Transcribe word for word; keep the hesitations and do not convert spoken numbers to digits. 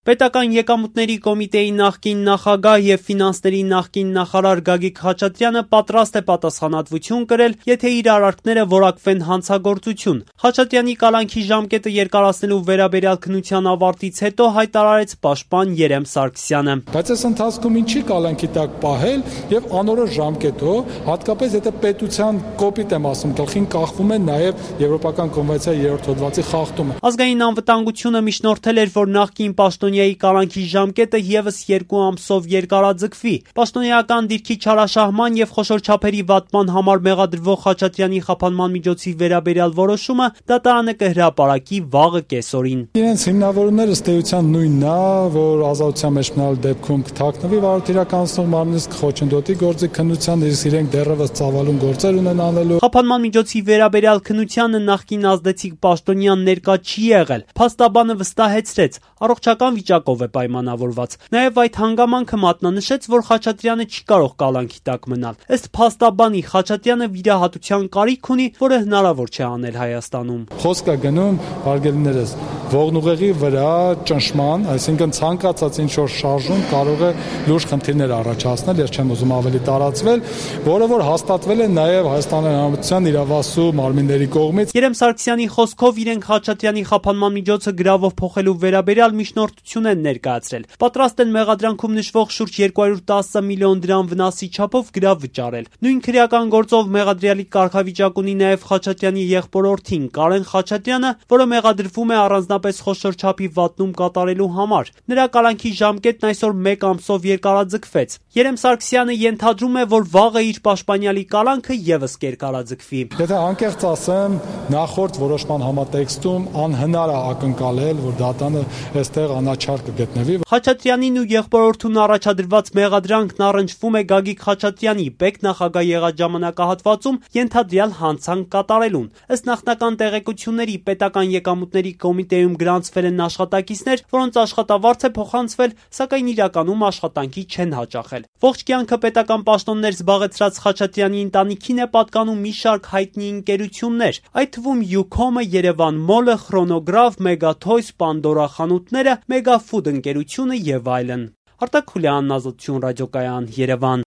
Պետական եկամուտների կոմիտեի նախկին նախագահ եւ ֆինանսների նախկին նախարար Գագիկ Խաչատրյանը պատրաստ է պատասխանատվություն կրել, եթե իր արարքները որակվեն հանցագործություն։ Խաչատրյանի կալանքի ժամկետը երկարացնելու վերաբերյալ քննության ավարտից հետո հայտարարեց պաշտպան Երեմ Սարգսյանը։ Բայց այս ընթացքում ինչի կալանքի տակ պահել եւ անորոշ ժամկետով, հատկապես եթե պետության կոպիտ եմ ասում, գլխին կախվում է նաեւ Եվրոպական կոնվենցիայի երրորդ հոդվածի խախտումը։ Ազգային անվտանգությունը միջնորդել էր, որ նախկին պաշտոնյայի կալանքի ժամկետը եւս երկու ամսով երկարաձգվի։ Պաշտոնեական դիրքի չարաշահման եւ խոշոր չափերի վատման համար մեղադրվող Խաչատրյանի խափանման միջոցի վերաբերյալ որոշումը դատարանը կհրապարակի վաղը կեսօրին։ Իրենց հիմնավորումները ըստ էության նույնն է, որ ազատության մեջ մնալ դեպքում կթաքնվի վարորդ իրականացնող մարմնից կխոչընդոտի գործի քննության, իսկ իրենք դեռևս ծավալուն գործեր ունեն անելու։ Խափանման միջոցի վերաբերյալ քննությանը նախկին ազդեցիկ պաշտոնյան ներկա չի եղել։ Փաստաբանը վստահեցրեց, առողջական վիճակով է պայմանավորված։ Նաև այդ հանգամանքը մատնանշեց, որ Խաչատրյանը չի կարող կալանքի տակ մնալ։ Ըստ փաստաբանի Խաչատրյանը վիրահատության կարիք ունի, որը հնարավոր չէ անել Հայաստանում։ Խոսք է գնում, հարգելիներս, ողնուղեղի վրա ճնշման, այսինքն ցանկացած ինչ-որ շարժում կարող է լուրջ խնդիրներ առաջացնել, ես չեմ ուզում ավելի տարածվել, որը որ հաստատվել է նաև Հայաստանի Հանրապետության իրավասու մարմինների կողմից։ Երեմ Սարգսյանի խոսքով իրենք Խաչատրյանի խափանման միջոցը գրավով փոխելու վերաբերյալ միջնորդություն են ներկայացրել։ Պատրաստ են մեղադրանքում նշվող շուրջ երկու հարյուր տասը միլիոն դրամ վնասի չափով գրավ վճարել։ Նույն քրեական գործով մեղադրյալի կարգավիճակ ունի նաև Խաչատրյանի եղբորորդին Կարեն Խաչատրյանը, որը մեղադրվում է առանձնապես խոշոր չափի վատնում կատարելու համար։ Նրա կալանքի ժամկետն այսօր մեկ ամսով երկարաձգվեց։ Երեմ Սարգսյանը ենթադրում է, որ վաղը իր պաշտպանյալի կալանքը եւս կերկարաձգվի։ Եթե անկեղծ ասեմ, նախորդ որոշման համատեքստում անհնար է ակնկալել, որ դատանը այստեղ անաչառ կգտնվի։ Խաչատրյանին ու եղբորորդուն առաջադրված մեղադրանքն առնչվում է Գագիկ Խաչատրյանի պետ նախագահ եղած ժամանակահատվածում ենթադրյալ հանցանք կատարելուն։ Ըստ նախնական տեղեկությունների պետական եկամուտների կոմիտեում գրանցվել են աշխատակիցներ, որոնց աշխատավարձ է փոխանցվել, սակայն իրականում աշխատանքի չեն հաճախել։ Ողջ կյանքը պետական պաշտոններ զբաղեցրած Խաչատրյանի ընտանիքին է պատկանում մի շարք հայտնի ընկերություններ, այդ թվում Յուքոմը, Երևան Մոլը, Խրոնոգրաֆ, Մեգաթոյս, Պանդորա խանութները, Մեգաֆուդ ընկերությունը եւ այլն։ Արտակ Խուլյանն, Ազատություն ռադիոկայան, Երևան։